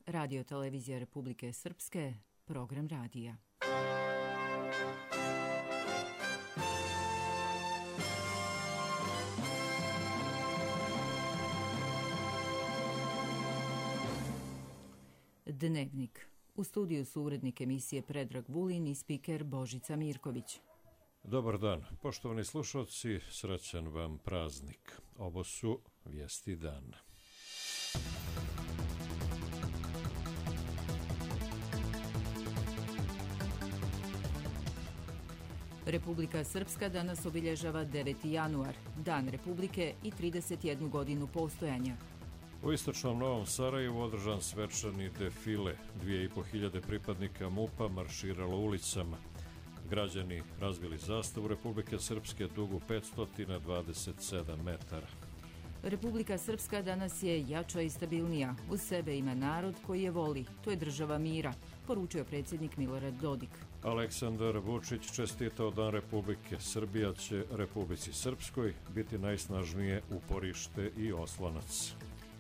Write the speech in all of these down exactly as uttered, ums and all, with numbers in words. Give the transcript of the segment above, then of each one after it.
Radio televizija Republike Srpske, program radija. Dnevnik. U studiju su urednik emisije Predrag Vulin i spiker Božica Mirković. Dobar dan, poštovani slušalci, srećan vam praznik. Ovo su vijesti dana. Republika Srpska danas obilježava deveti januar, Dan Republike i trideset jednu godinu postojanja. U istočnom Novom Sarajevu održan svečani defile. Dvije i po hiljade pripadnika MUP-a marširalo ulicama. Građani razvili zastavu Republike Srpske dugu petsto dvadeset sedam metara. Republika Srpska danas je jača i stabilnija. Uz sebe ima narod koji je voli. To je država mira, poručio predsjednik Milorad Dodik. Aleksandar Vučić čestitao Dan Republike. Srbija će Republici Srpskoj biti najsnažnije uporište i oslonac.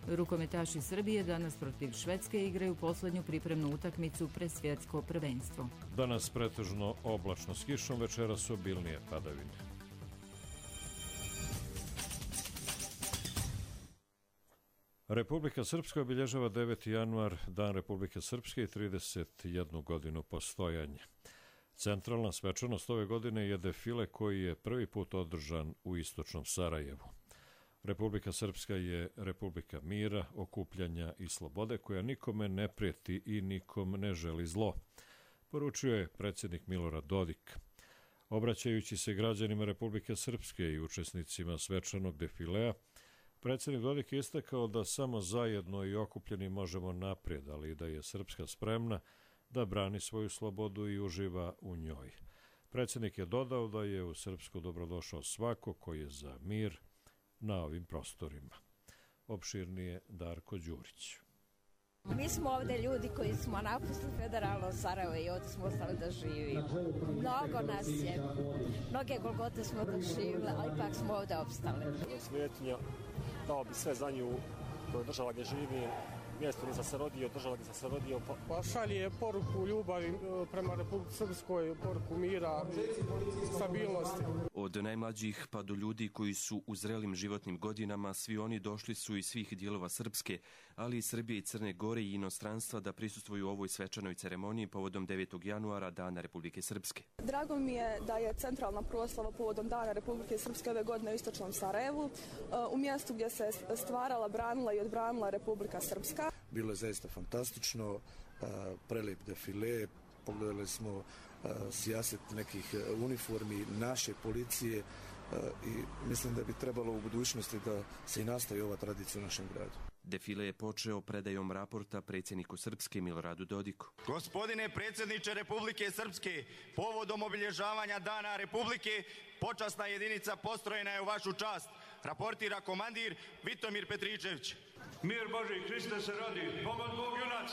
Rukometaši Srbije danas protiv Švedske igraju posljednju pripremnu utakmicu pred svjetsko prvenstvo. Danas pretežno oblačno s kišom, večeras obilnije padavine. Republika Srpska obilježava deveti januar, Dan Republike Srpske i trideset jednu godinu postojanja. Centralna svečanost ove godine je defile koji je prvi put održan u istočnom Sarajevu. Republika Srpska je republika mira, okupljanja i slobode koja nikome ne prijeti i nikom ne želi zlo, poručio je predsjednik Milorad Dodik. Obraćajući se građanima Republike Srpske i učesnicima svečanog defilea, predsjednik Dodik je istakao da samo zajedno i okupljeni možemo naprijed, ali i da je Srpska spremna da brani svoju slobodu i uživa u njoj. Predsjednik je dodao da je u Srpsku dobrodošao svako koji je za mir na ovim prostorima. Opširnije Darko Đurić. Mi smo ovdje ljudi koji smo napustili federalno Sarajevo i ovdje smo ostali da živimo. Mnogo nas je, mnoge golgote smo doživjeli, ali ipak smo ovdje opstali. Svetinja, dao bi sve za nju, to je država gdje živim, mjesto gdje sam se rodio, država gdje sam se rodio. Pa šalje poruku ljubavi prema Republici Srpskoj, poruku mira, stabilnosti. Od najmlađih pa do ljudi koji su u zrelim životnim godinama, svi oni došli su iz svih dijelova Srpske, ali i Srbije i Crne Gore i inostranstva da prisustvuju ovoj svečanoj ceremoniji povodom devetog januara, Dana Republike Srpske. Drago mi je da je centralna proslava povodom Dana Republike Srpske ove godine u istočnom Sarajevu, u mjestu gdje se stvarala, branila i odbranila Republika Srpska. Bilo je zaista fantastično, prelijep defile, pogledali smo sijaset nekih uniformi naše policije i mislim da bi trebalo u budućnosti da se i nastavi ova tradicija u našem gradu. Defile je počeo predajom raporta predsjedniku Srpske Miloradu Dodiku. Gospodine predsjedniče Republike Srpske, povodom obilježavanja Dana Republike, počasna jedinica postrojena je u vašu čast. Raportira komandir Vitomir Petričević. Mir Boži, Hriste se rodi, pomad Bog junac.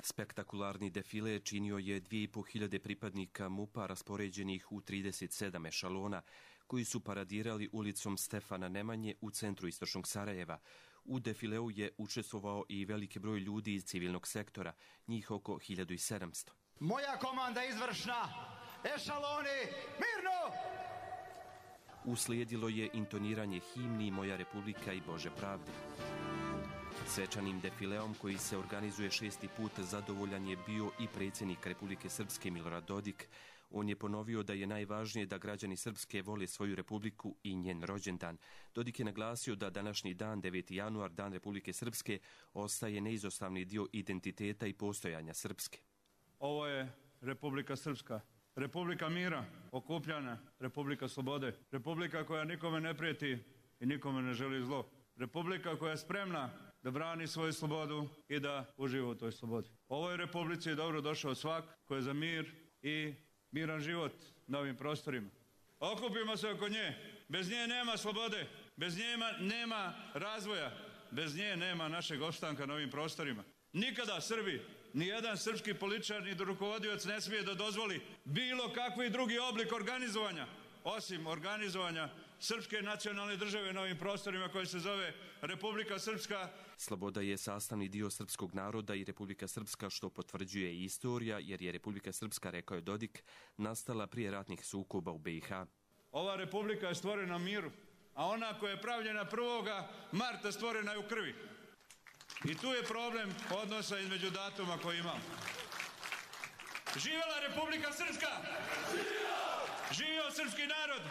Spektakularni defile činio je dvije i po hiljade pripadnika MUP-a raspoređenih u trideset sedam ešalona, koji su paradirali ulicom Stefana Nemanje u centru istočnog Sarajeva. U defileu je učestvovao i veliki broj ljudi iz civilnog sektora, njih oko hiljadu sedamsto. Moja komanda izvršna, ešaloni, mirno! Uslijedilo je intoniranje himni Moja Republika i Bože pravde. Svečanim defileom koji se organizuje šesti put zadovoljan je bio i predsjednik Republike Srpske Milorad Dodik. On je ponovio da je najvažnije da građani Srpske vole svoju republiku i njen rođendan. Dodik je naglasio da današnji dan, deveti januar, Dan Republike Srpske, ostaje neizostavni dio identiteta i postojanja Srpske. Ovo je Republika Srpska. Republika mira, okupljana, Republika slobode, Republika koja nikome ne prijeti i nikome ne želi zlo. Republika koja je spremna da brani svoju slobodu i da uživa u toj slobodi. Ovoj Republici je dobro došao svak koji je za mir i miran život na ovim prostorima. Okupimo se oko nje. Bez nje nema slobode, bez nje nema razvoja, bez nje nema našeg opstanka na ovim prostorima. Nikada Srbi, ni jedan srpski političar ni rukovodioc ne smije da dozvoli bilo kakvi drugi oblik organizovanja, osim organizovanja srpske nacionalne države na ovim prostorima koje se zove Republika Srpska. Sloboda je sastavni dio srpskog naroda i Republika Srpska, što potvrđuje i istorija, jer je Republika Srpska, rekao je Dodik, nastala prije ratnih sukoba u B i H. Ova republika je stvorena miru, a ona koja je pravljena prvoga marta stvorena je u krvi. I tu je problem odnosa između datuma koji imamo. Živjela Republika Srpska! Živio srpski narod!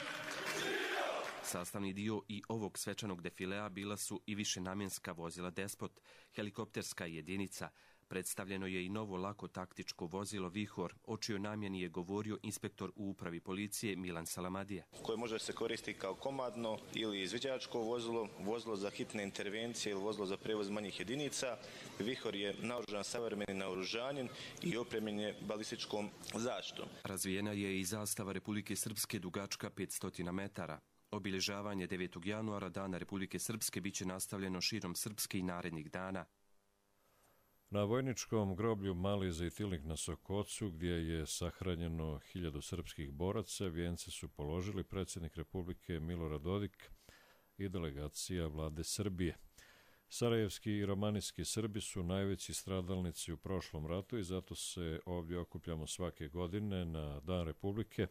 Sastavni dio i ovog svečanog defilea bila su i višenamjenska vozila Despot, helikopterska jedinica. Predstavljeno je i novo lako taktičko vozilo Vihor, o čijoj namjeni je govorio inspektor u upravi policije Milan Salamadija. Koje može se koristiti kao komadno ili izviđačko vozilo, vozilo za hitne intervencije ili vozilo za prevoz manjih jedinica. Vihor je naoružan savremenim naoružanjem i opremljen je balističkom zaštitom. Razvijena je i zastava Republike Srpske dugačka petsto metara. Obilježavanje devetog januara, Dana Republike Srpske, biće nastavljeno širom Srpske i narednih dana. Na vojničkom groblju Mali Zejtilnik na Sokocu, gdje je sahranjeno hiljadu srpskih boraca, vijence su položili predsjednik Republike Milorad Dodik i delegacija vlade Srbije. Sarajevski i romanijski Srbi su najveći stradalnici u prošlom ratu i zato se ovdje okupljamo svake godine na Dan Republike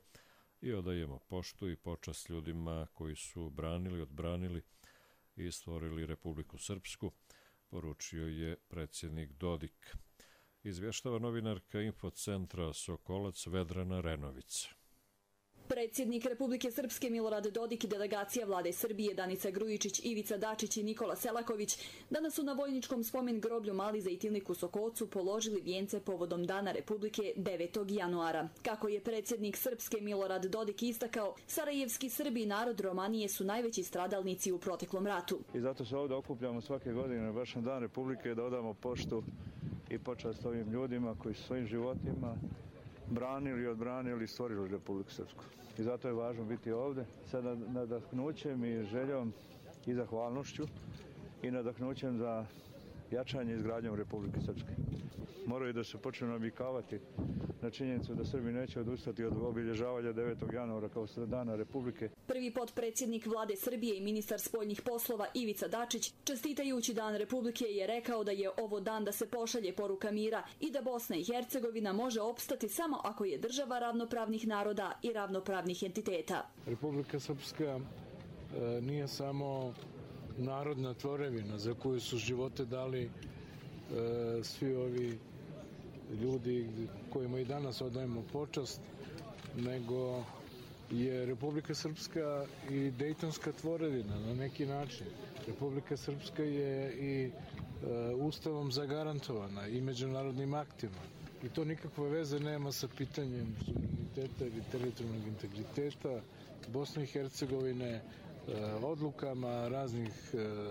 i odajemo poštu i počast ljudima koji su branili, odbranili i stvorili Republiku Srpsku, poručio je predsjednik Dodik. Izvještava novinarka Infocentra Sokolac Vedrana Renovica. Predsjednik Republike Srpske Milorad Dodik i delegacija vlade Srbije Danica Grujičić, Ivica Dačić i Nikola Selaković danas su na vojničkom spomen groblju Mali Zejtilnik u Sokocu položili vijence povodom Dana Republike devetog januara. Kako je predsjednik Srpske Milorad Dodik istakao, sarajevski Srbi i narod Romanije su najveći stradalnici u proteklom ratu. I zato se ovdje okupljamo svake godine baš na Dan Republike da odamo poštu i počast ovim ljudima koji su svojim životima branili, odbranili i stvorili Republiku Srpsku. I zato je važno biti ovdje sa nadahnućem i željom i zahvalnošću i nadahnućem za jačanje i izgradnjom Republike Srpske. Moraju da se počnu navikavati na činjenicu da Srbi neće odustati od obilježavanja devetog januara kao Dana Republike. Prvi potpredsjednik vlade Srbije i ministar spoljnih poslova Ivica Dačić, čestitajući Dan Republike, je rekao da je ovo dan da se pošalje poruka mira i da Bosna i Hercegovina može opstati samo ako je država ravnopravnih naroda i ravnopravnih entiteta. Republika Srpska e, nije samo narodna tvorevina za koju su živote dali e, svi ovi ljudi kojima i danas odajemo počast, nego je Republika Srpska i dejtonska tvorevina na neki način. Republika Srpska je i e, ustavom zagarantovana i međunarodnim aktima. I to nikakve veze nema sa pitanjem suvereniteta ili teritorijalnog integriteta Bosne i Hercegovine, odlukama raznih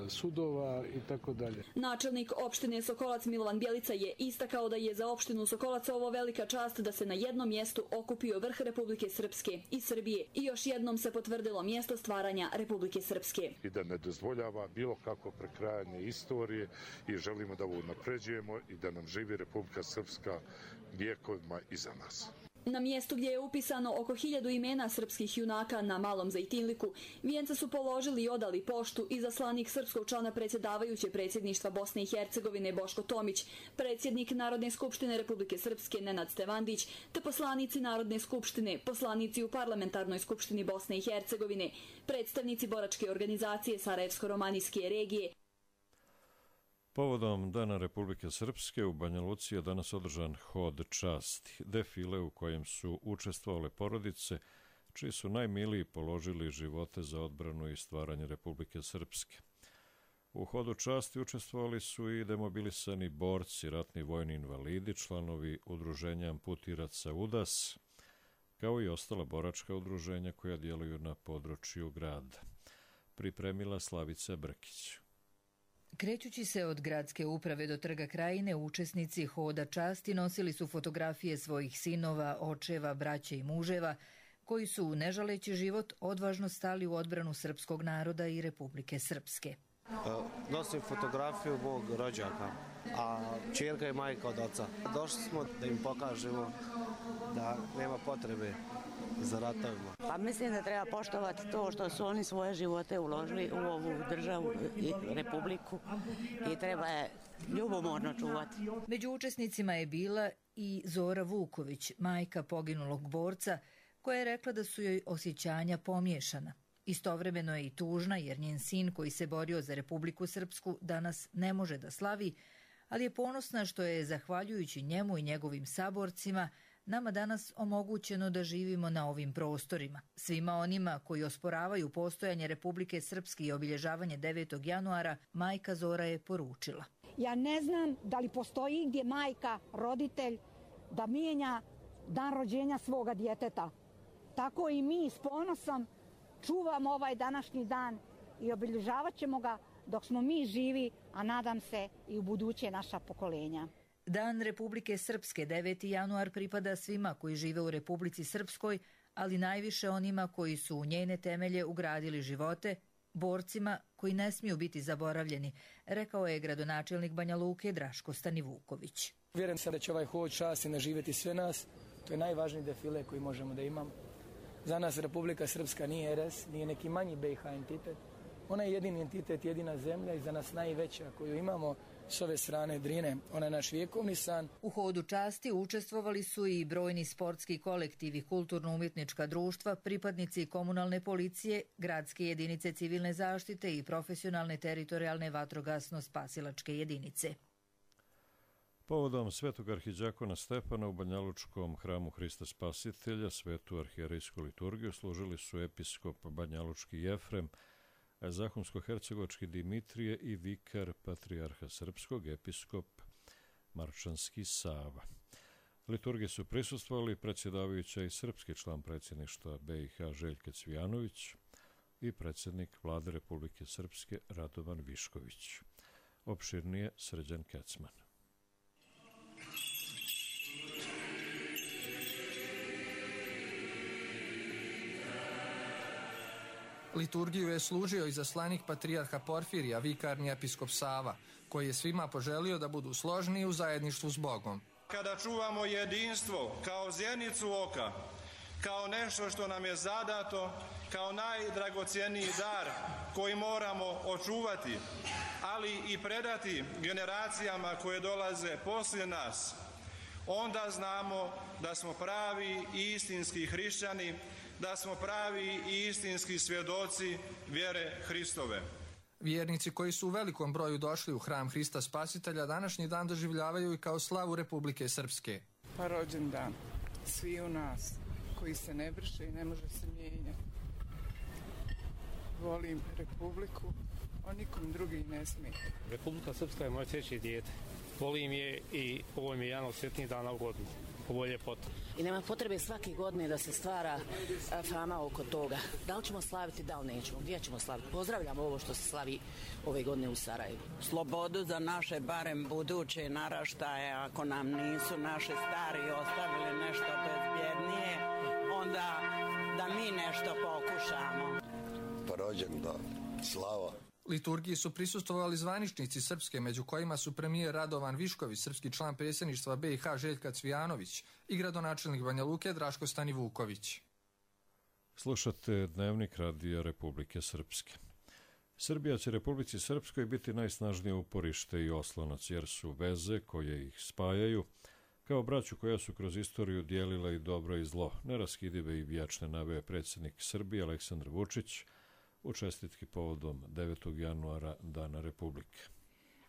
sudova i tako dalje. Načelnik opštine Sokolac Milovan Bjelica je istakao da je za opštinu Sokolac ovo velika čast da se na jednom mjestu okupio vrh Republike Srpske i Srbije i još jednom se potvrdilo mjesto stvaranja Republike Srpske. I da ne dozvoljava bilo kako prekrajanje istorije i želimo da ovo napređujemo i da nam živi Republika Srpska vijekovima iza nas. Na mjestu gdje je upisano oko hiljadu imena srpskih junaka na Malom Zejtilniku, vijence su položili i odali poštu i zaslanik srpskog člana predsjedavajuće predsjedništva Bosne i Hercegovine Boško Tomić, predsjednik Narodne skupštine Republike Srpske Nenad Stevandić, te poslanici Narodne skupštine, poslanici u Parlamentarnoj skupštini Bosne i Hercegovine, predstavnici boračke organizacije Sarajevsko-romanijske regije. Povodom Dana Republike Srpske u Banja Luci je danas održan hod časti, defile u kojem su učestvovale porodice, čiji su najmiliji položili živote za odbranu i stvaranje Republike Srpske. U hodu časti učestvovali su i demobilisani borci, ratni vojni invalidi, članovi udruženja amputiraca UDAS, kao i ostala boračka udruženja koja djeluju na području grada. Pripremila Slavica Brkić. Krećući se od gradske uprave do Trga Krajine, učesnici hoda časti nosili su fotografije svojih sinova, očeva, braće i muževa, koji su, ne žaleći život, odvažno stali u odbranu srpskog naroda i Republike Srpske. Nosim fotografiju mog rođaka, a ćerka je majka od oca. Došli smo da im pokažemo da nema potrebe za ratovima. Pa mislim da treba poštovati to što su oni svoje živote uložili u ovu državu i republiku i treba je ljubomorno čuvati. Među učesnicima je bila i Zora Vuković, majka poginulog borca, koja je rekla da su joj osjećanja pomiješana. Istovremeno je i tužna jer njen sin koji se borio za Republiku Srpsku danas ne može da slavi, ali je ponosna što je, zahvaljujući njemu i njegovim saborcima, nama danas omogućeno da živimo na ovim prostorima. Svima onima koji osporavaju postojanje Republike Srpske i obilježavanje devetog januara, majka Zora je poručila. Ja ne znam da li postoji gdje majka, roditelj, da mijenja dan rođenja svoga djeteta. Tako i mi s ponosom čuvamo ovaj današnji dan i obilježavat ćemo ga dok smo mi živi, a nadam se i u buduće naša pokolenja. Dan Republike Srpske, deveti januar, pripada svima koji žive u Republici Srpskoj, ali najviše onima koji su u njene temelje ugradili živote, borcima koji ne smiju biti zaboravljeni, rekao je gradonačelnik Banja Luke Draško Stanivuković. Vjerujem sam da će ovaj hod časti naživjeti sve nas. To je najvažniji defile koji možemo da imamo. Za nas Republika Srpska nije er es, nije neki manji be i ha entitet. Ona je jedini entitet, jedina zemlja i za nas najveća koju imamo s ove strane Drine. Ona je naš vjekovni san. U hodu časti učestvovali su i brojni sportski kolektivi, kulturno-umjetnička društva, pripadnici komunalne policije, gradske jedinice civilne zaštite i profesionalne teritorijalne vatrogasno-spasilačke jedinice. Povodom Svetog arhidžakona Stefana u Banjalučkom hramu Hrista Spasitelja svetu arhijerejsku liturgiju služili su episkop Banjalučki Jefrem, Zahumsko-hercegovački Dimitrije i vikar patrijarha srpskog episkop Marčanski Sava. Liturgiji su prisustvovali predsjedavajuća i srpski član predsjedništva be i ha Željka Cvijanović i predsjednik Vlade Republike Srpske Radovan Višković. Opširnije Srđan Kecman. Liturgiju je služio izaslanik patrijarha Porfirija, vikarni episkop Sava, koji je svima poželio da budu složni u zajedništvu s Bogom. Kada čuvamo jedinstvo kao zjenicu oka, kao nešto što nam je zadato, kao najdragocjeniji dar koji moramo očuvati, ali i predati generacijama koje dolaze poslije nas, onda znamo da smo pravi i istinski hrišćani, da smo pravi i istinski svjedoci vjere Hristove. Vjernici koji su u velikom broju došli u hram Hrista Spasitelja današnji dan doživljavaju i kao slavu Republike Srpske. Pa rođendan svi u nas koji se ne brše i ne može se mijenjati. Volim Republiku, a nikom drugi ne smije. Republika Srpska je moje treće dijete. Volim je i ovo mi je jedan od sretnijih dana u godinu. Ovo je ljepota. I nema potrebe svake godine da se stvara fama oko toga. Da li ćemo slaviti, da li nećemo, gdje ćemo slaviti. Pozdravljamo ovo što se slavi ove godine u Sarajevu. Slobodu za naše, barem buduće naraštaje, ako nam nisu naši stari ostavili nešto bezbjednije, onda da mi nešto pokušamo. Pa rođendan, slava. Liturgiji su prisustvovali zvaničnici Srpske, među kojima su premijer Radovan Višković, srpski član predsjedništva be i ha Željka Cvijanović i gradonačelnik Banja Luke Draško Stanivuković. Slušate Dnevnik Radija Republike Srpske. Srbija će Republici Srpskoj biti najsnažnije uporište i oslonac, jer su veze koje ih spajaju, kao braću koja su kroz istoriju dijelila i dobro i zlo, neraskidive i vječne, naveo predsjednik Srbije Aleksandar Vučić u čestitki povodom devetog januara Dana Republike.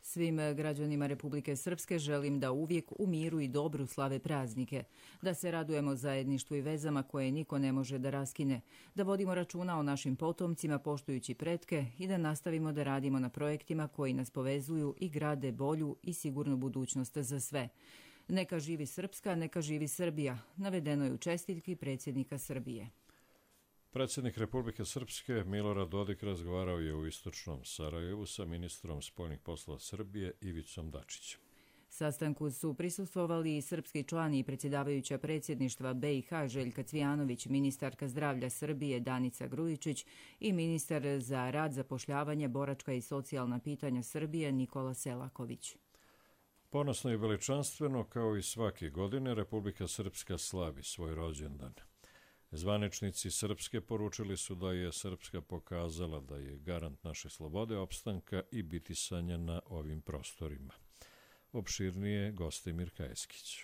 Svim građanima Republike Srpske želim da uvijek u miru i dobru slave praznike, da se radujemo zajedništvu i vezama koje niko ne može da raskine, da vodimo računa o našim potomcima poštujući pretke i da nastavimo da radimo na projektima koji nas povezuju i grade bolju i sigurnu budućnost za sve. Neka živi Srpska, neka živi Srbija, navedeno je u čestitki predsjednika Srbije. Predsjednik Republike Srpske Milorad Dodik razgovarao je u istočnom Sarajevu sa ministrom spoljnih poslova Srbije Ivicom Dačićem. Sastanku su prisustvovali i srpski član i predsjedavajuća predsjedništva be i ha Željka Cvijanović, ministarka zdravlja Srbije Danica Grujičić i ministar za rad, zapošljavanje, boračka i socijalna pitanja Srbije Nikola Selaković. Ponosno i veličanstveno, kao i svake godine, Republika Srpska slavi svoj rođendan. Zvaničnici Srpske poručili su da je Srpska pokazala da je garant naše slobode, opstanka i bitisanja na ovim prostorima. Opširnije Gostimir Kajeskić.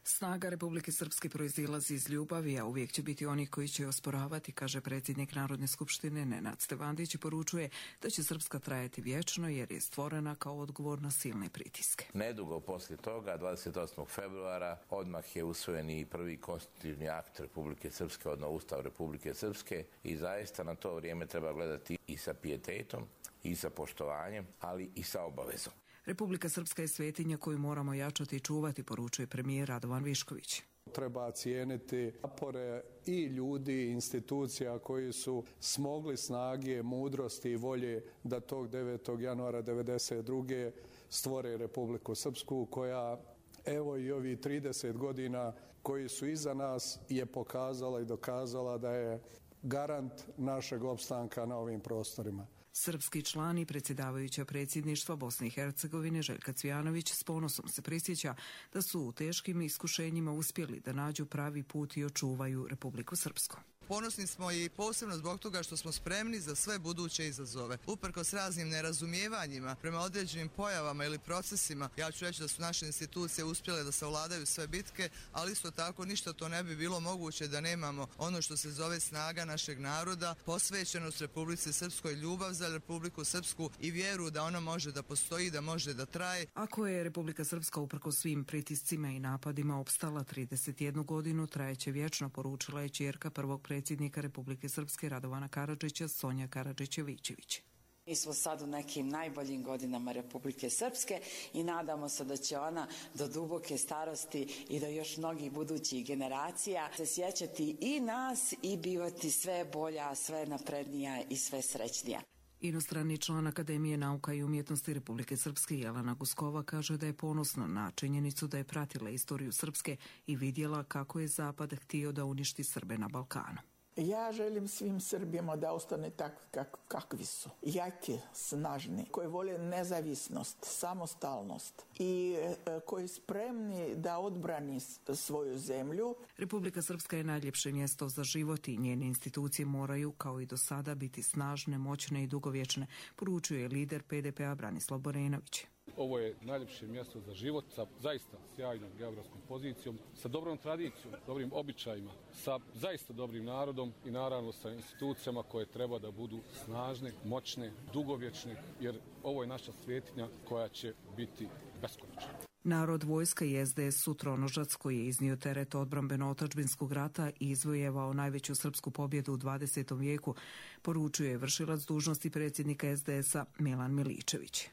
Snaga Republike Srpske proizilazi iz ljubavi, a uvijek će biti oni koji će osporavati, kaže predsjednik Narodne skupštine Nenad Stevandić i poručuje da će Srpska trajati vječno jer je stvorena kao odgovor na silne pritiske. Nedugo poslije toga, dvadeset osmog februara, odmah je usvojen i prvi konstitutivni akt Republike Srpske, odnosno Ustav Republike Srpske, i zaista na to vrijeme treba gledati i sa pijetetom, i sa poštovanjem, ali i sa obavezom. Republika Srpska je svetinja koju moramo jačati i čuvati, poručuje premijer Radovan Višković. Treba cijeniti napore i ljudi i institucija koji su smogli snage, mudrosti i volje da tog devetog januara devedeset druge stvore Republiku Srpsku, koja evo i ovih trideset godina koji su iza nas je pokazala i dokazala da je garant našeg opstanka na ovim prostorima. Srpski član i predsjedavajuća predsjedništva Bosne i Hercegovine Željka Cvijanović s ponosom se prisjeća da su u teškim iskušenjima uspjeli da nađu pravi put i očuvaju Republiku Srpsku. Ponosni smo i posebno zbog toga što smo spremni za sve buduće izazove. Uprkos raznim nerazumijevanjima prema određenim pojavama ili procesima, ja ću reći da su naše institucije uspjele da savladaju sve bitke, ali isto tako ništa to ne bi bilo moguće da nemamo ono što se zove snaga našeg naroda, posvećenost Republici Srpskoj, ljubav za Republiku Srpsku i vjeru da ona može da postoji, da može da traje. Ako je Republika Srpska uprkos svim pritiscima i napadima opstala trideset jednu godinu, trajeće vječno, poručila je ćerka prvog predsjednika Republike Srpske Radovana Karadžića, Sonja Karadžić-Vičević. Mi smo sad u nekim najboljim godinama Republike Srpske i nadamo se da će ona do duboke starosti i do još mnogih budućih generacija se sjećati i nas i bivati sve bolja, sve naprednija i sve srećnija. Inostrani član Akademije nauka i umjetnosti Republike Srpske Jelena Guskova kaže da je ponosna na činjenicu da je pratila istoriju Srpske i vidjela kako je Zapad htio da uništi Srbe na Balkanu. Ja želim svim Srbima da ostane takvi kak, kakvi su. Jaki, snažni, koji vole nezavisnost, samostalnost i e, koji spremni da odbrani svoju zemlju. Republika Srpska je najljepše mjesto za život i njene institucije moraju, kao i do sada, biti snažne, moćne i dugovječne, poručuje lider P D P-a Branislav Borenović. Ovo je najljepše mjesto za život sa zaista sjajnom geografskom pozicijom, sa dobrom tradicijom, dobrim običajima, sa zaista dobrim narodom i naravno sa institucijama koje treba da budu snažne, moćne, dugovječne, jer ovo je naša svetinja koja će biti beskonačna. Narod, vojska i S D S su tronožac koji je iznio teret odbrambeno-otadžbinskog rata i izvojevao najveću srpsku pobjedu u dvadesetom vijeku, poručuje vršilac dužnosti predsjednika S D S-a Milan Miličević.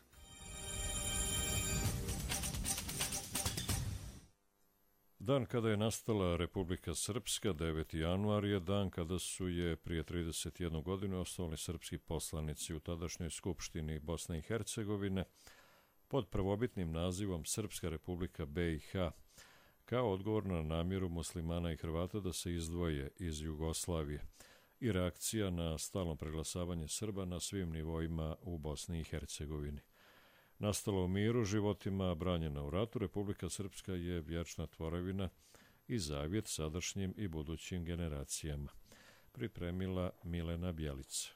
Dan kada je nastala Republika Srpska, deveti januar, je dan kada su je prije trideset jednu godinu osnovali srpski poslanici u tadašnjoj Skupštini Bosne i Hercegovine pod prvobitnim nazivom Srpska Republika B i H, kao odgovor na namjeru muslimana i Hrvata da se izdvoje iz Jugoslavije i reakcija na stalno preglasavanje Srba na svim nivoima u Bosni i Hercegovini. Nastala u miru, životima branjena u ratu, Republika Srpska je vječna tvorevina i zavjet sadašnjim i budućim generacijama. Pripremila Milena Bjelica.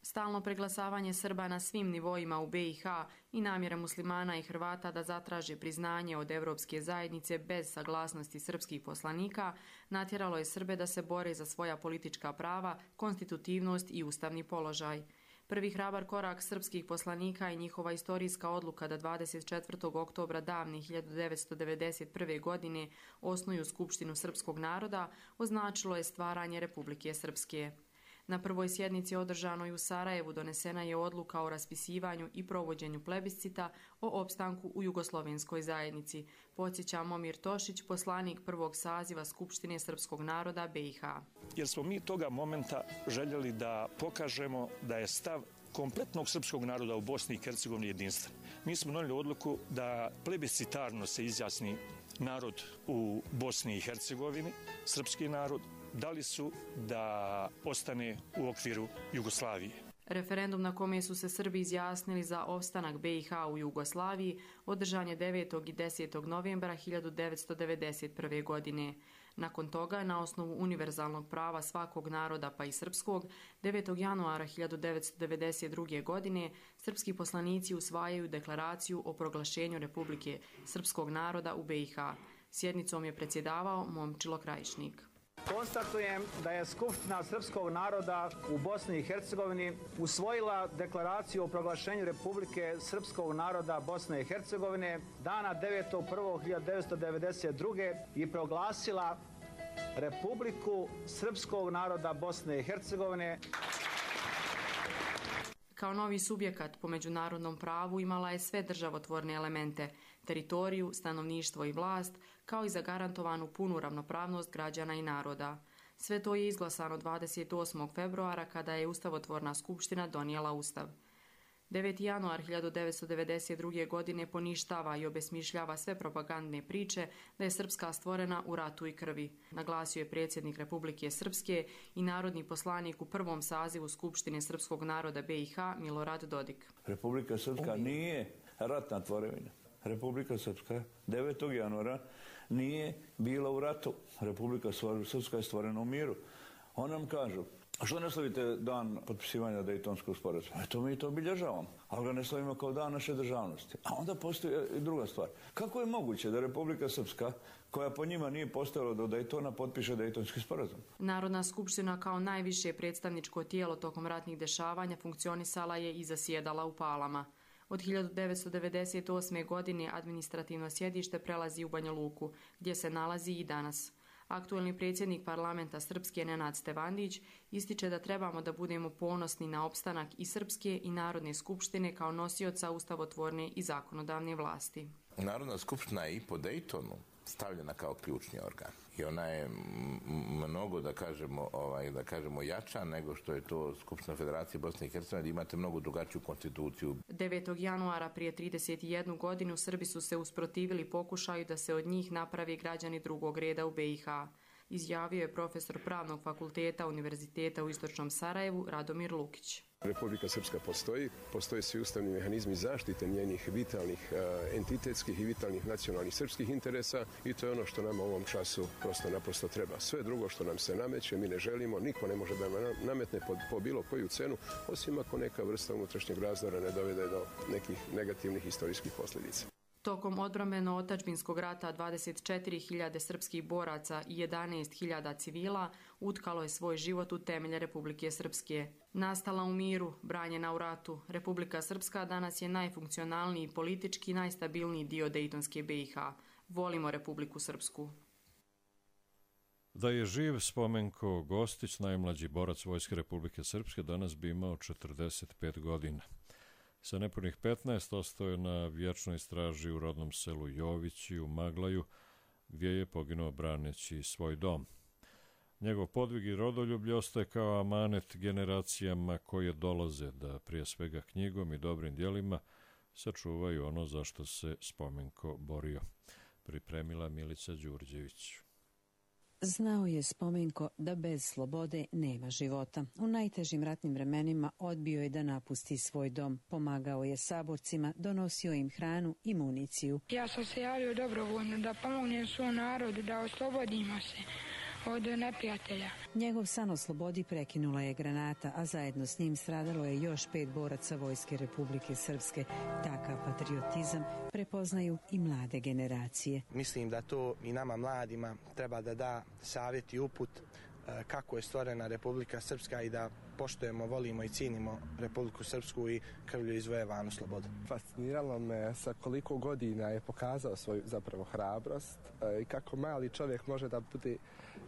Stalno preglasavanje Srba na svim nivoima u B i H i namjera muslimana i Hrvata da zatraže priznanje od Evropske zajednice bez saglasnosti srpskih poslanika natjeralo je Srbe da se bore za svoja politička prava, konstitutivnost i ustavni položaj. Prvi hrabar korak srpskih poslanika i njihova istorijska odluka da dvadeset četvrtog oktobra davne hiljadu devetsto devedeset prve. godine osnuju Skupštinu srpskog naroda označilo je stvaranje Republike Srpske. Na prvoj sjednici održanoj u Sarajevu donesena je odluka o raspisivanju i provođenju plebiscita o opstanku u jugoslovenskoj zajednici, podsjeća Momir Tošić, poslanik prvog saziva Skupštine srpskog naroda B i H. Jer smo mi toga momenta željeli da pokažemo da je stav kompletnog srpskog naroda u Bosni i Hercegovini jedinstven. Mi smo donijeli odluku da plebiscitarno se izjasni narod u Bosni i Hercegovini, srpski narod, da li su da ostane u okviru Jugoslavije. Referendum na kome su se Srbi izjasnili za opstanak B i H u Jugoslaviji održan je devetog i desetog novembra hiljadu devetsto devedeset prve. godine. Nakon toga, na osnovu univerzalnog prava svakog naroda pa i srpskog, devetog januara hiljadu devetsto devedeset druge. godine srpski poslanici usvajaju deklaraciju o proglašenju Republike srpskog naroda u B i H. Sjednicom je predsjedavao Momčilo Krajišnik. Konstatujem da je Skupština srpskog naroda u Bosni i Hercegovini usvojila deklaraciju o proglašenju Republike srpskog naroda Bosne i Hercegovine dana devetog prvog hiljadu devetsto devedeset druge. i proglasila Republiku srpskog naroda Bosne i Hercegovine. Kao novi subjekat po međunarodnom pravu imala je sve državotvorne elemente, teritoriju, stanovništvo i vlast, kao i zagarantovanu punu ravnopravnost građana i naroda. Sve to je izglasano dvadeset osmog februara kada je Ustavotvorna skupština donijela Ustav. deveti januar hiljadu devetsto devedeset druge. godine poništava i obesmišljava sve propagandne priče da je Srpska stvorena u ratu i krvi, naglasio je predsjednik Republike Srpske i narodni poslanik u prvom sazivu Skupštine srpskog naroda B i H Milorad Dodik. Republika Srpska nije ratna tvorevina. Republika Srpska devetog januara nije bila u ratu. Republika Srpska je stvorena u miru. On nam kažu, a što ne slavite dan potpisivanja Dejtonskog sporazuma? Eto, mi to obilježavamo, ali ga ne slavimo kao dan naše državnosti. A onda postoji i druga stvar. Kako je moguće da Republika Srpska, koja po njima nije postojala do Dejtona, potpiše Dejtonski sporazum? Narodna skupština kao najviše predstavničko tijelo tokom ratnih dešavanja funkcionisala je i zasjedala u Palama. Od hiljadu devetsto devedeset osme. godine administrativno sjedište prelazi u Banja Luku, gdje se nalazi i danas. Aktuelni predsjednik parlamenta Srpske Nenad Stevandić ističe da trebamo da budemo ponosni na opstanak i Srpske i Narodne skupštine kao nosioca ustavotvorne i zakonodavne vlasti. Narodna skupština je i po Dejtonu stavljena kao ključni organ. I ona je mnogo, da kažemo, ovaj, da kažemo jača nego što je to Skupština Federacije Bosne i Hercegovine, da imate mnogo drugačiju konstituciju. devetog januara prije trideset jednu godinu Srbi su se usprotivili pokušaju da se od njih napravi građani drugog reda u B i H. Izjavio je profesor Pravnog fakulteta Univerziteta u Istočnom Sarajevu Radomir Lukić. Republika Srpska postoji, postoje svi ustavni mehanizmi zaštite njenih vitalnih uh, entitetskih i vitalnih nacionalnih srpskih interesa i to je ono što nam u ovom času prosto naprosto treba. Sve drugo što nam se nameće, mi ne želimo, niko ne može da nam nametne po, po bilo koju cenu, osim ako neka vrsta unutrašnjeg razdora ne dovede do nekih negativnih historijskih posljedica. Tokom odbrambeno-otadžbinskog rata dvadeset četiri hiljade srpskih boraca i jedanaest hiljada civila utkalo je svoj život u temelje Republike Srpske. Nastala u miru, branjena u ratu, Republika Srpska danas je najfunkcionalniji politički i najstabilniji dio Dejtonske B i H. Volimo Republiku Srpsku. Da je živ Spomenko Gostić, najmlađi borac Vojske Republike Srpske, danas bi imao četrdeset pet godina. Sa nepunih petnaest ostao je na vječnoj straži u rodnom selu Jovići u Maglaju, gdje je poginuo braneći svoj dom. Njegov podvig i rodoljublje ostaje kao amanet generacijama koje dolaze da prije svega knjigom i dobrim djelima sačuvaju ono za što se Spomenko borio. Pripremila Milica Đurđević. Znao je Spomenko da bez slobode nema života. U najtežim ratnim vremenima odbio je da napusti svoj dom. Pomagao je saborcima, donosio im hranu i municiju. Ja sam se javio dobrovoljno da pomognem svom narodu, da oslobodimo se od neprijatelja. Njegov san o slobodi prekinula je granata, a zajedno s njim stradalo je još pet boraca Vojske Republike Srpske. Takav patriotizam prepoznaju i mlade generacije. Mislim da to i nama mladima treba da da savjet i uput kako je stvorena Republika Srpska i da poštujemo, volimo i cijenimo Republiku Srpsku i krvlju izvojevanu slobodu. Fasciniralo me sa koliko godina je pokazao svoju zapravo hrabrost i kako mali čovjek može da bude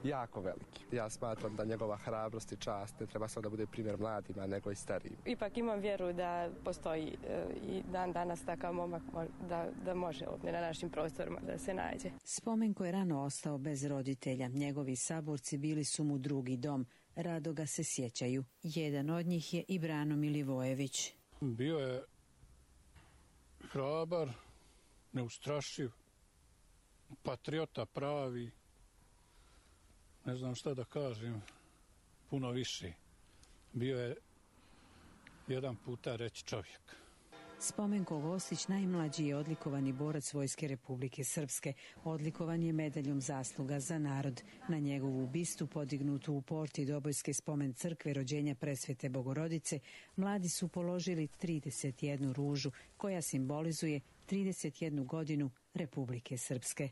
jako veliki. Ja smatram da njegova hrabrost i čast ne treba samo da bude primjer mladima, nego i starijim. Ipak imam vjeru da postoji i dan danas takav momak da, da može ovdje na našim prostorima da se nađe. Spomenko je rano ostao bez roditelja. Njegovi saborci bili su mu drugi dom. Rado ga se sjećaju. Jedan od njih je i Brano Milivojević. Bio je hrabar, neustrašiv, patriota pravi, ne znam šta da kažem, puno više. Bio je jedan puta reći čovjek. Spomenko Gostić najmlađi je odlikovani borac Vojske Republike Srpske. Odlikovan je medaljom zasluga za narod. Na njegovu bistu podignutu u porti Dobojske spomen crkve rođenja Presvete Bogorodice, mladi su položili trideset jednu ružu koja simbolizuje trideset jednu godinu Republike Srpske.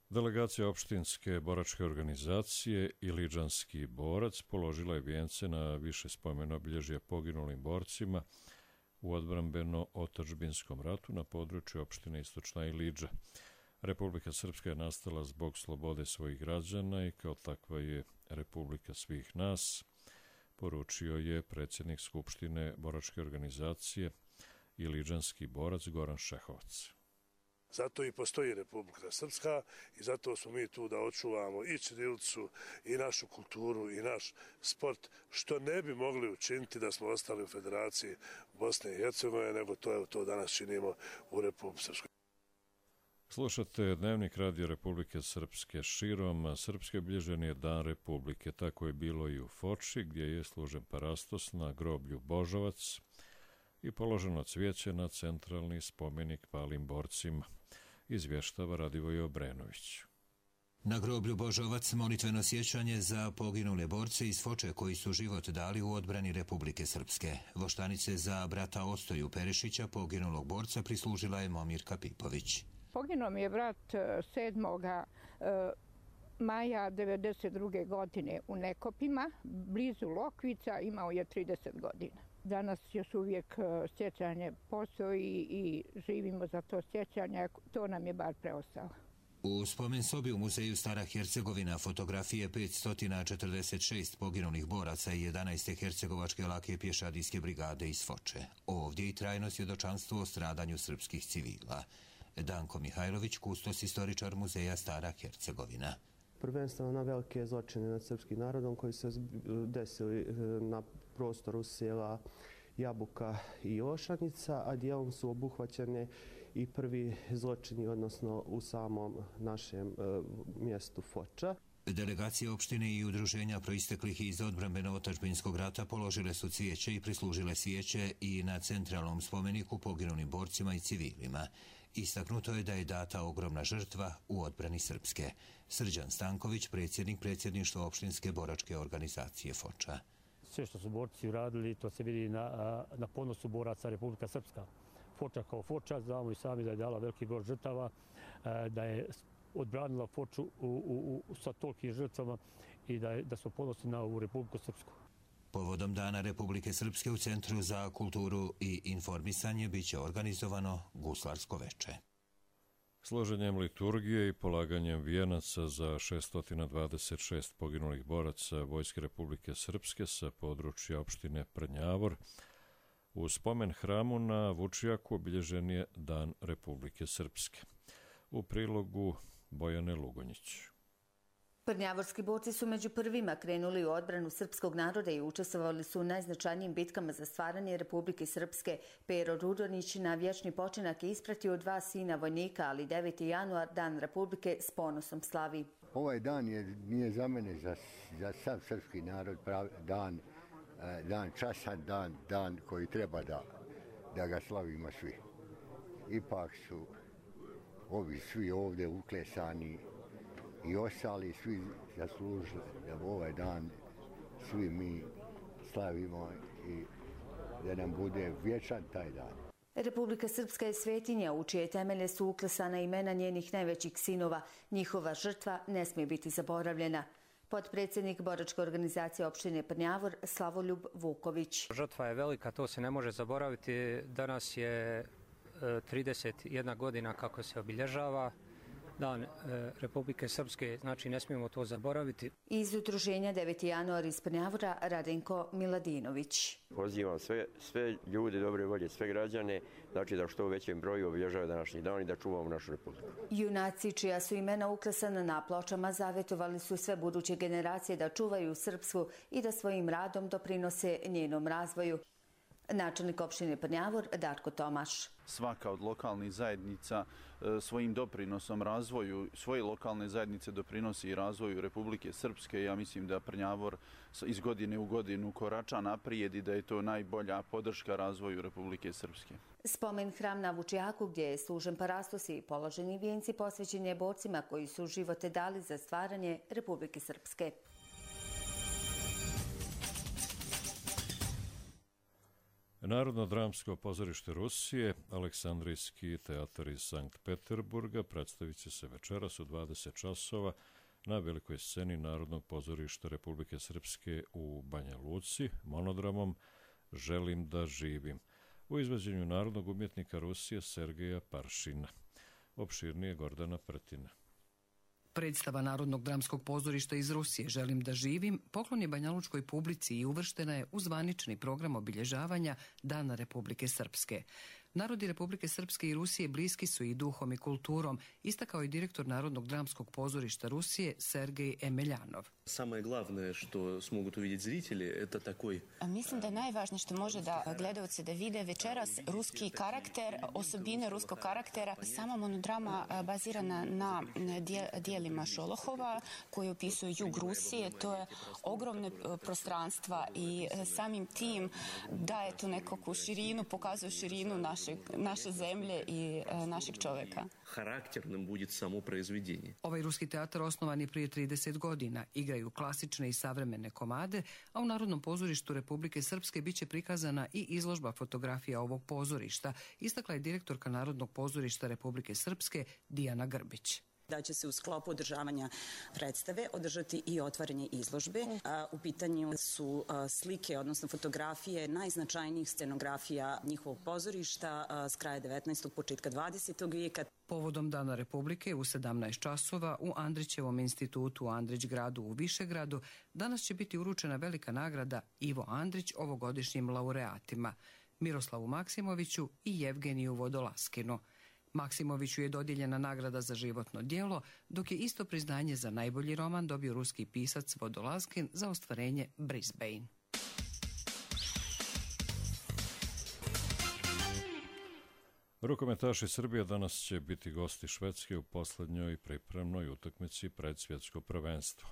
Delegacija opštinske boračke organizacije Iliđanski borac položila je vijence na više spomen obilježja poginulim borcima u odbrambeno-otadžbinskom ratu na području opštine Istočna Iliđa. Republika Srpska je nastala zbog slobode svojih građana i kao takva je Republika svih nas, poručio je predsjednik Skupštine boračke organizacije Iliđanski borac Goran Šehovac. Zato i postoji Republika Srpska i zato smo mi tu da očuvamo i ćirilicu i našu kulturu i naš sport, što ne bi mogli učiniti da smo ostali u Federaciji Bosne i Hercegovine, nego to, evo, to danas činimo u Republici Srpskoj. Slušate Dnevnik Radio Republike Srpske. Širom Srpske obilježen je Dan Republike. Tako je bilo i u Foči, gdje je služen parastos na groblju Božovac i položeno cvijeće na centralni spomenik palim borcima. Izvještava Radivoj Obrenović. Na groblju Božovac molitveno sjećanje za poginule borce iz Foče koji su život dali u odbrani Republike Srpske. Voštanice za brata Ostoju Perišića, poginulog borca, prislužila je Momirka Pipović. Poginuo mi je brat sedmoga maja devedeset druge godine u Nekopima, blizu Lokvica, imao je trideset godina. Danas još uvijek sjećanje postoji i živimo za to sjećanje, to nam je bar preostalo. U spomen sobi u muzeju Stara Hercegovina fotografije petsto četrdeset šest poginulih boraca i jedanaeste hercegovačke lake pješadijske brigade iz Foče. Ovdje i trajno svjedočanstvo o stradanju srpskih civila. Danko Mihajlović, kustos istoričar muzeja Stara Hercegovina. Prvenstveno na velike zločine nad srpskim narodom koji se desili na prostoru sela Jabuka i Ošanjica, a dijelom su obuhvaćene i prvi zločini, odnosno u samom našem e, mjestu Foča. Delegacije opštine i udruženja proisteklih iz odbrambeno-otadžbinskog rata položile su cvijeće i prislužile svijeće i na centralnom spomeniku poginulim borcima i civilima. Istaknuto je da je data ogromna žrtva u odbrani Srpske. Srđan Stanković, predsjednik predsjedništva opštinske boračke organizacije Foča. Sve što su borci uradili, to se vidi na, na ponosu boraca Republika Srpska. Foča kao Foča, znamo i sami da je dala veliki broj žrtava, da je odbranila Foču u, u, u, sa tolikim žrtvama i da, je, da smo ponosni na ovu Republiku Srpsku. Povodom Dana Republike Srpske u Centru za kulturu i informisanje biće organizovano guslarsko veče. Složenjem liturgije i polaganjem vijenaca za šesto dvadeset šest poginulih boraca Vojske Republike Srpske sa područja opštine Prnjavor, u spomen hramu na Vučijaku obilježen je Dan Republike Srpske. U prilogu Bojane Lugonjić. Prnjavorski borci su među prvima krenuli u odbranu srpskog naroda i učestvovali su u najznačajnijim bitkama za stvaranje Republike Srpske. Pero Rudonić na vječni počinak je ispratio dva sina vojnika, ali deveti januar, Dan Republike, s ponosom slavi. Ovaj dan je, nije za mene, za, za sav srpski narod, pravi, dan, dan časan, dan, dan koji treba da, da ga slavimo svi. Ipak su ovi svi ovdje uklesani i ostali svi zaslužili da ovaj dan svi mi slavimo i da nam bude vječan taj dan. Republika Srpska je svetinja u čije temelje su uklesana imena njenih najvećih sinova. Njihova žrtva ne smije biti zaboravljena. Potpredsjednik boračke organizacije opštine Prnjavor Slavoljub Vuković. Žrtva je velika, to se ne može zaboraviti. Danas je trideset jedna godina kako se obilježava Dan e, Republike Srpske, znači ne smijemo to zaboraviti. Iz udruženja deveti januar iz Prnjavora Radenko Miladinović. Pozivam sve, sve ljude dobre volje, sve građane, znači da što u većem broju obilježavaju današnji dan i da čuvamo našu republiku. Junaci čija su imena uklesana na pločama zavjetovali su sve buduće generacije da čuvaju srpsku i da svojim radom doprinose njenom razvoju. Načelnik opštine Prnjavor Darko Tomaš. Svaka od lokalnih zajednica svojim doprinosom razvoju svoje lokalne zajednice doprinosi i razvoju Republike Srpske. Ja mislim da Prnjavor iz godine u godinu korača naprijed i da je to najbolja podrška razvoju Republike Srpske. Spomen hram na Vučijaku gdje je služen parastos i položeni vijenci posvećen je borcima koji su živote dali za stvaranje Republike Srpske. Narodno dramsko pozorište Rusije, Aleksandrijski teatar iz Sankt Peterburga, predstavit će se večeras u dvadeset časova na velikoj sceni Narodnog pozorišta Republike Srpske u Banja Luci, monodramom Želim da živim, u izvođenju narodnog umjetnika Rusije Sergeja Paršina. Opširnije Gordana Prtina. Predstava Narodnog dramskog pozorišta iz Rusije Želim da živim poklon je banjalučkoj publici i uvrštena je u zvanični program obilježavanja Dana Republike Srpske. Narodi Republike Srpske i Rusije bliski su i duhom i kulturom, istakao i direktor Narodnog dramskog pozorišta Rusije Sergej Emeljanov. Самое главное, что смогут увидеть зрители, это такой... Mislim da je najvažnije što može da gledalci da vide večeras ruski karakter, osobine ruskog karaktera. Sama monodrama bazirana na dijelima Šolohova koji opisuju jug Rusije. To je ogromne prostranstva i samim tim daje tu nekakvu širinu, pokazuje širinu naše, naše zemlje i našeg čovjeka. Karakternim bude samo proizvedjenje. Ovaj ruski teatar osnovan je prije trideset godina. Igraju klasične i savremene komade, a u Narodnom pozorištu Republike Srpske biće prikazana i izložba fotografija ovog pozorišta, istakla je direktorka Narodnog pozorišta Republike Srpske Dijana Grbić. Da će se u sklopu održavanja predstave održati i otvaranje izložbe. U pitanju su slike, odnosno fotografije najznačajnijih scenografija njihovog pozorišta s kraja devetnaestog. početka dvadesetog. vijeka. Povodom Dana Republike u sedamnaest časova u Andrićevom institutu u Andrić gradu u Višegradu danas će biti uručena velika nagrada Ivo Andrić ovogodišnjim laureatima Miroslavu Maksimoviću i Jevgeniju Vodolaskinu. Maksimoviću je dodijeljena nagrada za životno djelo, dok je isto priznanje za najbolji roman dobio ruski pisac Vodolaskin za ostvarenje Brisbane. Rukometaši Srbije danas će biti gosti Švedske u poslednjoj pripremnoj utakmici pred svjetsko prvenstvo.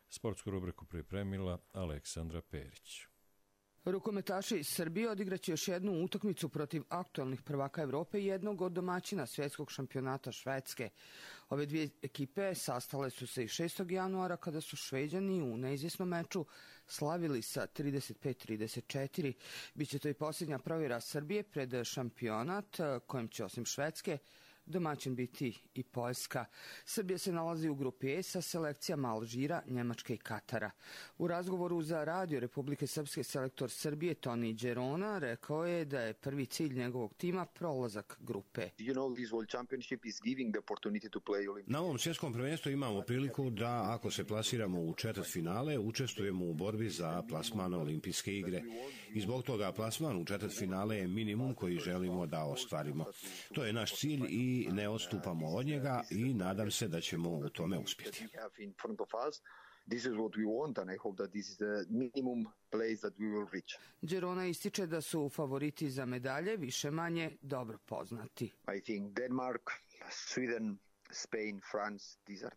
Sportsku rubriku pripremila Aleksandra Perić. Rukometaši iz Srbije odigraće još jednu utakmicu protiv aktualnih prvaka Evrope i jednog od domaćina svjetskog šampionata Švedske. Ove dvije ekipe sastale su se i šestog januara kada su Šveđani u neizvjesnom meču slavili sa trideset pet trideset četiri. Biće to i posljednja provjera Srbije pred šampionat kojem će osim Švedske domaćin biti i Poljska. Srbija se nalazi u grupi E sa selekcijama Alžira, Njemačke i Katara. U razgovoru za radio Republike Srpske selektor Srbije Toni Đerona rekao je da je prvi cilj njegovog tima prolazak grupe. Na ovom svjetskom prvenstvu imamo priliku da, ako se plasiramo u četvrtfinale, učestvujemo u borbi za plasman na olimpijske igre. I zbog toga plasman u četvrtfinale je minimum koji želimo da ostvarimo. To je naš cilj i ne odstupamo od njega i nadam se da ćemo u tome uspjeti. Đerona ističe da su favoriti za medalje više manje dobro poznati.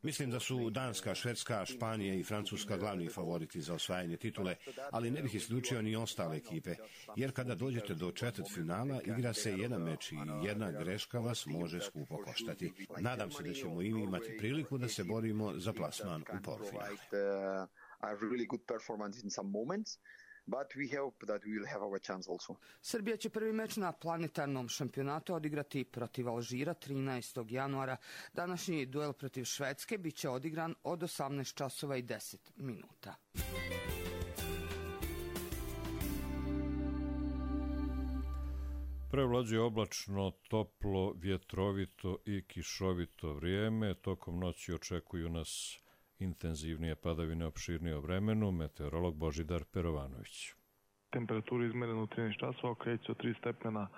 Mislim da su Danska, Švedska, Španija i Francuska glavni favoriti za osvajanje titule, ali ne bih isključio ni ostale ekipe, jer kada dođete do četvrtfinala igra se jedan meč i jedna greška vas može skupo koštati. Nadam se da ćemo i mi imati priliku da se borimo za plasman u polufinale. But we hope that we will have our chance also. Srbija će prvi meč na planetarnom šampionatu odigrati protiv Alžira trinaestog januara. Današnji duel protiv Švedske biće odigran od osamnaest časova i deset minuta. Prevlađuje oblačno, toplo, vjetrovito i kišovito vrijeme. Tokom noći očekuju nas intenzivnije padavine, opširnije o vremenu, meteorolog Božidar Perovanović. Temperaturu izmerenu u trinaest časova kreće od tri stepena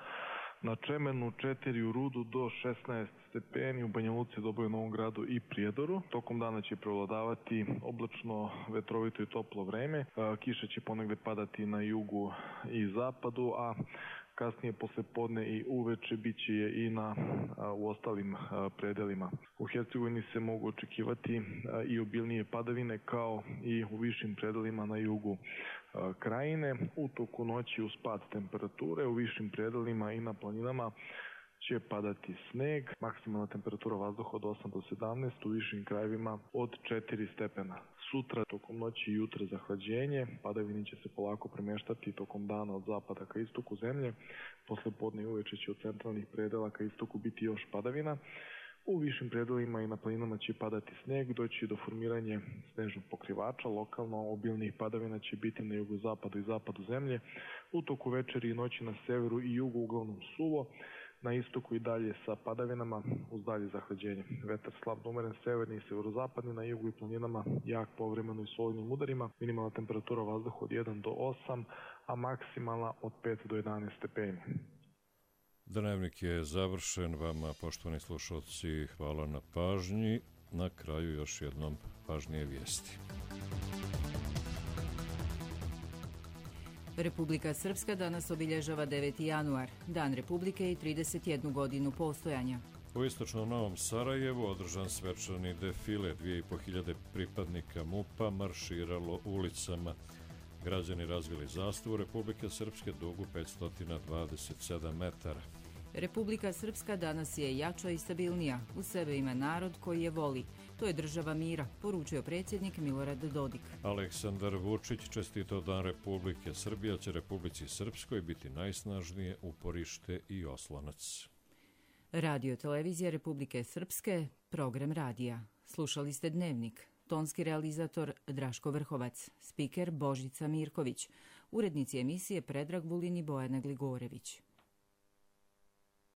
na Čemenu četiri, u Rudu do šesnaest stepeni, u Banja Luci, Doboju, Novom Gradu i Prijedoru. Tokom dana će prevladavati oblačno, vetrovito i toplo vreme. Kiša će ponegde padati na jugu i zapadu, a kasnije posle podne i uveče bit će je i na, u ostalim predelima. U Hercegovini se mogu očekivati i obilnije padavine kao i u višim predelima na jugu krajine. U toku noći uz pad temperature u višim predelima i na planinama će padati sneg, maksimalna temperatura vazduha od osam do sedamnaest, u višim krajevima od četiri stepena. Sutra tokom noći i jutra zahlađenje, padavini će se polako premeštati tokom dana od zapada ka istoku zemlje, posle podne i uveče će od centralnih predela ka istoku biti još padavina. U višim predelima i na planinama će padati sneg, doći do formiranja snežnog pokrivača. Lokalno obilnih padavina će biti na jugozapadu i zapadu zemlje. U toku večeri i noći na severu i jugu uglavnom suvo, na istoku i dalje sa padavinama uz dalje zahlađenje. Vetar slab do umeren severni i severozapadni, na jugu i planinama jak povremeno i s olujnim udarima. Minimalna temperatura vazduha od jedan do osam, a maksimalna od pet do jedanaest stepeni. Dnevnik je završen. Vama, poštovani slušalci, hvala na pažnji. Na kraju još jednom važnije vijesti. Republika Srpska danas obilježava deveti januar, Dan Republike i trideset jednu godinu postojanja. U istočnom Novom Sarajevu održan svečani defile, dvije i po hiljade pripadnika MUP-a marširalo ulicama. Građani razvili zastavu Republike Srpske dugu petsto dvadeset sedam metara. Republika Srpska danas je jača i stabilnija. U sebe ima narod koji je voli. To je država mira, poručio predsjednik Milorad Dodik. Aleksandar Vučić čestitao Dan Republike Srbije, će Republici Srpskoj biti najsnažnije uporište i oslonac. Radio televizija Republike Srpske, program radija. Slušali ste Dnevnik. Tonski realizator Draško Vrhovac, spiker Božica Mirković, urednici emisije Predrag Vulin i Bojana Gligorević.